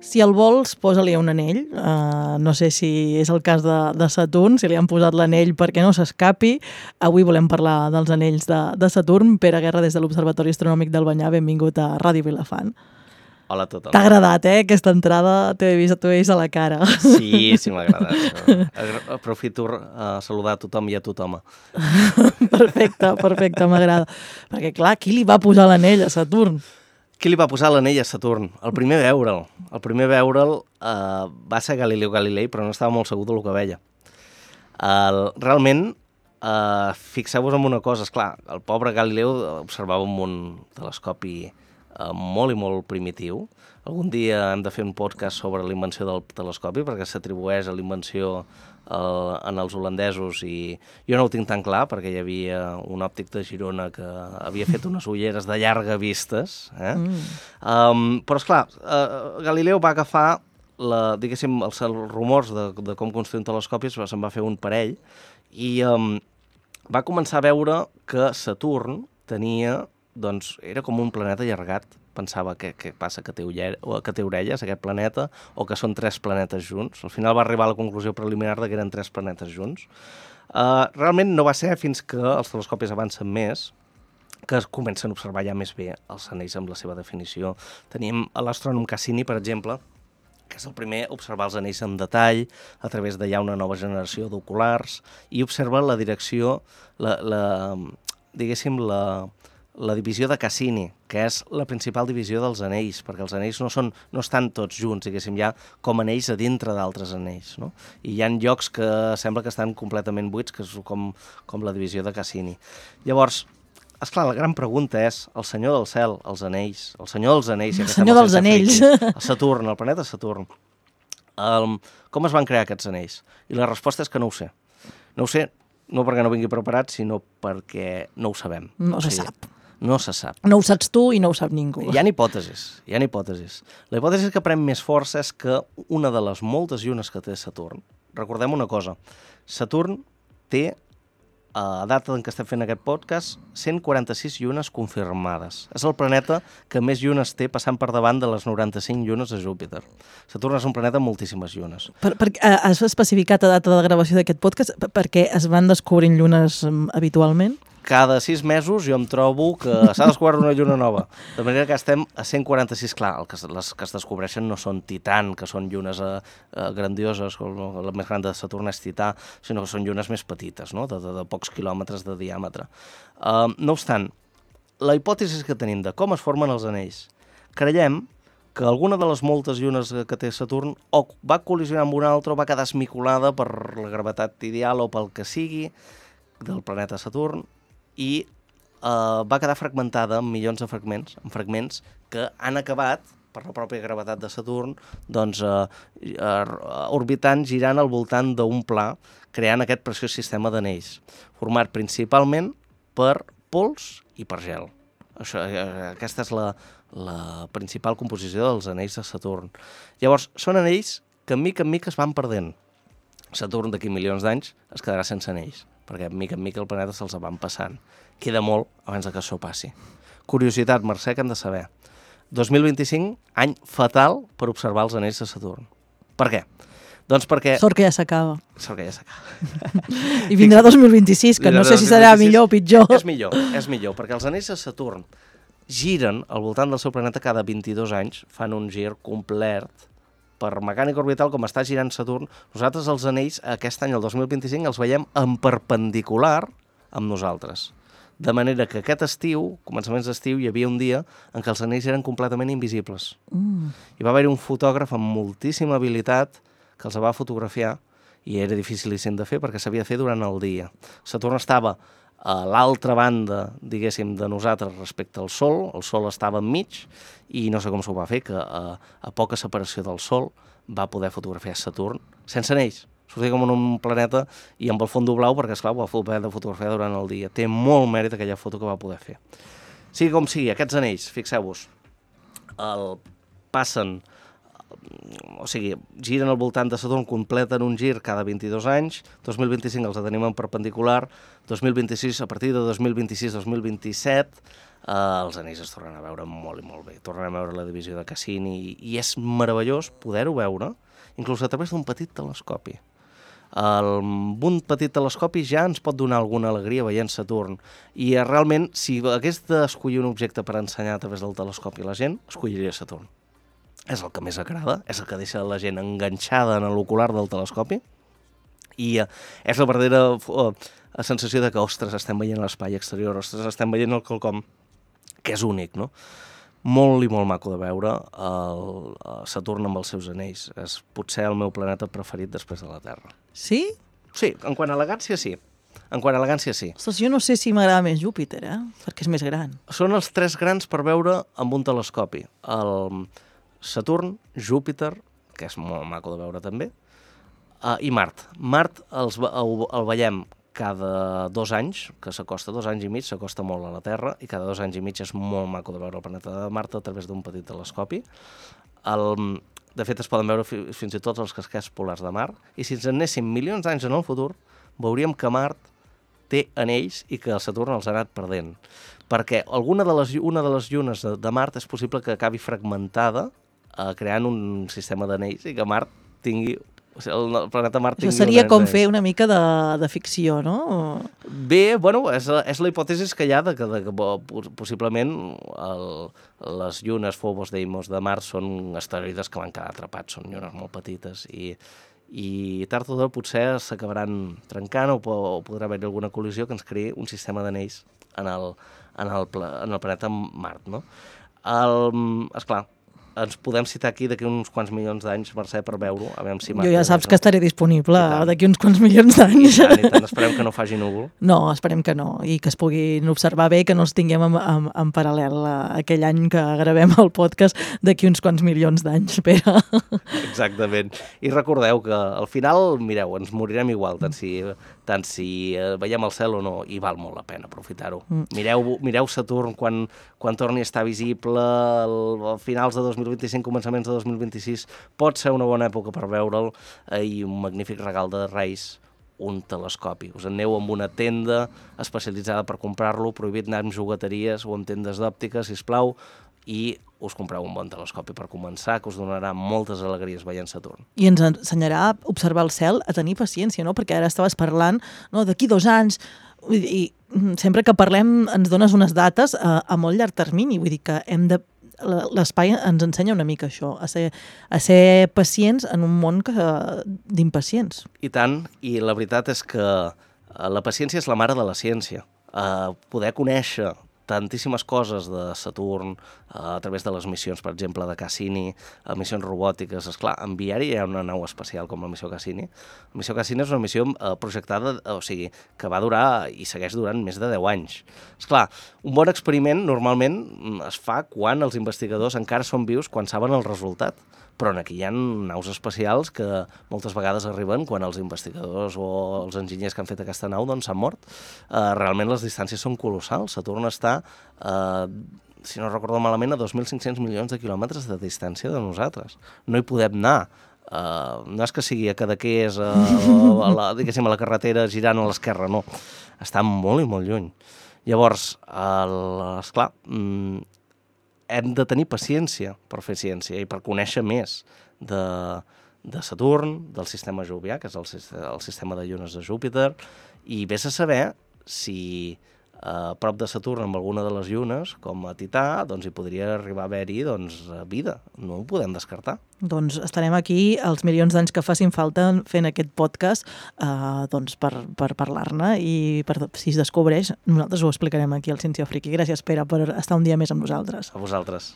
Si el vols, posa-li un anell. No sé si és el cas de Saturn, si li han posat l'anell perquè no s'escapi. Avui volem parlar dels anells de Saturn. Pere Guerra, des de l'Observatori Astronòmic del Banyar, benvingut a Ràdio Vilafant. Hola a tothom. T'ha agradat, aquesta entrada? T'he vist a la cara. Sí, m'ha agradat. Aprofito a saludar a tothom i a tothom. Perfecte, m'agrada. Perquè, clar, qui li va posar l'anell a Saturn? Qui li va posar l'anell a Saturn? El primer veure'l va ser Galileu Galilei, però no estava molt segur del que veia. Realment, fixeu-vos en una cosa, esclar, el pobre Galileu observava un telescopi molt i molt primitiu. Algun dia hem de fer un podcast sobre la invenció del telescopi, perquè s'atribueix a la invenció en els holandesos, i jo no ho tinc tan clar, perquè hi havia un òptic de Girona que havia fet unes ulleres de llarga vistes. Però, esclar, Galileu va agafar, diguéssim, els rumors de com construir un telescopi, se'n va fer un parell, i va començar a veure que Saturn tenia, doncs, era com un planeta allargat. Pensava què passa, que té orelles, aquest planeta, o que són 3 planetes junts. Al final va arribar a la conclusió preliminar que eren 3 planetes junts. Realment no va ser fins que els telescopis avancen més que es comencen a observar ja més bé els anells amb la seva definició. Tenim l'astrònom Cassini, per exemple, que és el primer a observar els anells en detall a través de ja una nova generació d'oculars, i observa la direcció, diguéssim, la divisió de Cassini, que és la principal divisió dels anells, perquè els anells no estan tots junts, diguéssim, ja com anells a dintre d'altres anells, no? I hi ha llocs que sembla que estan completament buits, que és com la divisió de Cassini. Llavors, esclar, la gran pregunta és, el senyor del cel, els anells, el senyor dels anells... El senyor dels anells. El Saturn, el planeta Saturn. Com es van crear aquests anells? I la resposta és que no ho sé. No ho sé, no perquè no vingui preparat, sinó perquè no ho sabem. No se sap. No se sap. No ho saps tu i no ho sap ningú. Hi ha hipòtesis. La hipòtesi que pren més força és que una de les moltes llunes que té Saturn, recordem una cosa, Saturn té, a data en què estem fent aquest podcast, 146 llunes confirmades. És el planeta que més llunes té, passant per davant de les 95 llunes de Júpiter. Saturn és un planeta amb moltíssimes llunes. Has especificat a data de gravació d'aquest podcast perquè es van descobrint llunes habitualment? Cada 6 mesos jo em trobo que s'ha descobert una lluna nova. De manera que estem a 146. Clar, les que es descobreixen no són Titan, que són llunes grandioses, la més gran de Saturn és Tità, sinó que són llunes més petites, no? de pocs quilòmetres de diàmetre. No obstant, la hipòtesi que tenim de com es formen els anells, creiem que alguna de les moltes llunes que té Saturn o va col·lisionar amb una altra o va quedar esmicolada per la gravetat ideal o pel que sigui del planeta Saturn, i va quedar fragmentada en milions de fragments que han acabat, per la pròpia gravetat de Saturn, doncs, orbitant, girant al voltant d'un pla, creant aquest preciós sistema d'anells, format principalment per pols i per gel. Aquesta és la principal composició dels anells de Saturn. Llavors, són anells que en mica es van perdent. Saturn d'aquí milions d'anys es quedarà sense anells, perquè en mica el planeta se'ls van passant. Queda molt abans que això passi. Curiositat, Mercè, que hem de saber. 2025, any fatal per observar els anells de Saturn. Per què? Doncs perquè... Sort que ja s'acaba. I vindrà 2026, que no sé si serà millor o pitjor. És millor, perquè els anells de Saturn giren al voltant del seu planeta cada 22 anys, fan un gir complet per mecànica orbital, com està girant Saturn. Nosaltres els anells, aquest any, el 2025, els veiem en perpendicular amb nosaltres. De manera que aquest estiu, començaments d'estiu, hi havia un dia en què els anells eren completament invisibles. Hi va haver-hi un fotògraf amb moltíssima habilitat que els va fotografiar, i era dificilíssim de fer perquè s'havia de fer durant el dia. Saturn estava a l'altra banda, diguéssim, de nosaltres respecte al Sol. El Sol estava enmig i no sé com s'ho va fer, que a poca separació del Sol va poder fotografiar Saturn sense anells. Sortia com en un planeta i amb el fons blau, perquè, esclar, ho va poder fotografiar durant el dia. Té molt mèrit aquella foto que va poder fer. Sigui com sigui, aquests anells, fixeu-vos, passen o sigui, giren al voltant de Saturn, completen un gir cada 22 anys, 2025 els tenim en perpendicular, 2026, a partir de 2026-2027, els anells es tornen a veure molt i molt bé. Tornem a veure la divisió de Cassini i és meravellós poder-ho veure, inclús a través d'un petit telescopi. Un petit telescopi ja ens pot donar alguna alegria veient Saturn i realment, si hagués d'escollir un objecte per ensenyar a través del telescopi a la gent, escolliria Saturn. És el que més agrada, és el que deixa la gent enganxada en l'ocular del telescopi i és la verdadera sensació de que, ostres, estem veient l'espai exterior, ostres, estem veient el quelcom que és únic, no? Molt i molt maco de veure el Saturn amb els seus anells. És potser el meu planeta preferit després de la Terra. Sí? Sí, en quant a elegància, sí. En quant a elegància, sí. Ostres, jo no sé si m'agrada més Júpiter, perquè és més gran. Són els 3 grans per veure amb un telescopi. El Saturn, Júpiter, que és molt maco de veure també, i Mart. Mart el veiem cada 2 anys, que s'acosta 2 anys i mig, s'acosta molt a la Terra, i cada 2 anys i mig és molt maco de veure el planeta de Mart a través d'un petit telescopi. De fet, es poden veure fins i tot els casquets polars de Mart, i si ens anéssim milions d'anys en el futur, veuríem que Mart té anells i que el Saturn els ha anat perdent. Perquè una de les llunes de Mart és possible que acabi fragmentada creant un sistema d'anells i que Mart tingui... O sigui, el planeta Mart tingui... Això seria com fer una mica de ficció, no? Bé, bueno, és la hipòtesi que hi ha de que possiblement les llunes Phobos, Deimos de Mart són asteroides que van quedar atrapats, són llunes molt petites i tard o d'hora potser s'acabaran trencant o podrà haver-hi alguna col·lisió que ens creï un sistema d'anells en el planeta Mart, no? Esclar, ens podem citar aquí d'aquí uns quants milions d'anys, Mercè, per veure-ho, a veure si... Jo ja saps que estaré disponible d'aquí uns quants milions d'anys. I tant, esperem que no faci núvol. No, esperem que no, i que es puguin observar bé, que no els tinguem en paral·lel aquell any que gravem el podcast d'aquí uns quants milions d'anys, Pere. Exactament. I recordeu que al final, mireu, ens morirem igual, tant si veiem el cel o no, i val molt la pena aprofitar-ho. Mireu Saturn quan torni a estar visible a finals de 2025, començaments de 2026, pot ser una bona època per veure'l i un magnífic regal de Reis, un telescopi. Us aneu amb una tenda especialitzada per comprar-lo, prohibit anar amb jugueteries o amb tendes d'òptica, sisplau, i us compreu un bon telescopi per començar, que us donarà moltes alegries veient Saturn. I ens ensenyarà a observar el cel, a tenir paciència, no? Perquè ara estaves parlant, no, d'aquí 2 anys, i sempre que parlem ens dones unes dates a molt llarg termini, vull dir que l'espai ens ensenya una mica això, a ser pacients en un món d'impacients. I tant, i la veritat és que la paciència és la mare de la ciència. Poder conèixer tantíssimes coses de Saturn a través de les missions, per exemple, de Cassini, missions robòtiques. Esclar, enviar-hi hi ha una nau espacial com la missió Cassini. La missió Cassini és una missió projectada, o sigui, que va durar i segueix durant més de 10 anys. Esclar, un bon experiment normalment es fa quan els investigadors encara són vius, quan saben el resultat. Però aquí hi ha naus espacials que moltes vegades arriben quan els investigadors o els enginyers que han fet aquesta nau doncs s'han mort. Realment les distàncies són colossals. Saturn està, si no recordo malament, a 2.500 milions de quilòmetres de distància de nosaltres. No hi podem anar. No és que sigui a Cadaqués, diguéssim, a la carretera girant a l'esquerra, no. Està molt i molt lluny. Llavors, esclar, hem de tenir paciència per fer ciència i per conèixer més de Saturn, del sistema jovià, que és el sistema de llunes de Júpiter, i vés a saber si a prop de Saturn, amb alguna de les llunes, com a Tità, doncs hi podria arribar a haver-hi vida. No ho podem descartar. Doncs estarem aquí els milions d'anys que facin falta fent aquest podcast per parlar-ne i si es descobreix, nosaltres ho explicarem aquí al Ciència Friki. Gràcies, Pere, per estar un dia més amb nosaltres. A vosaltres.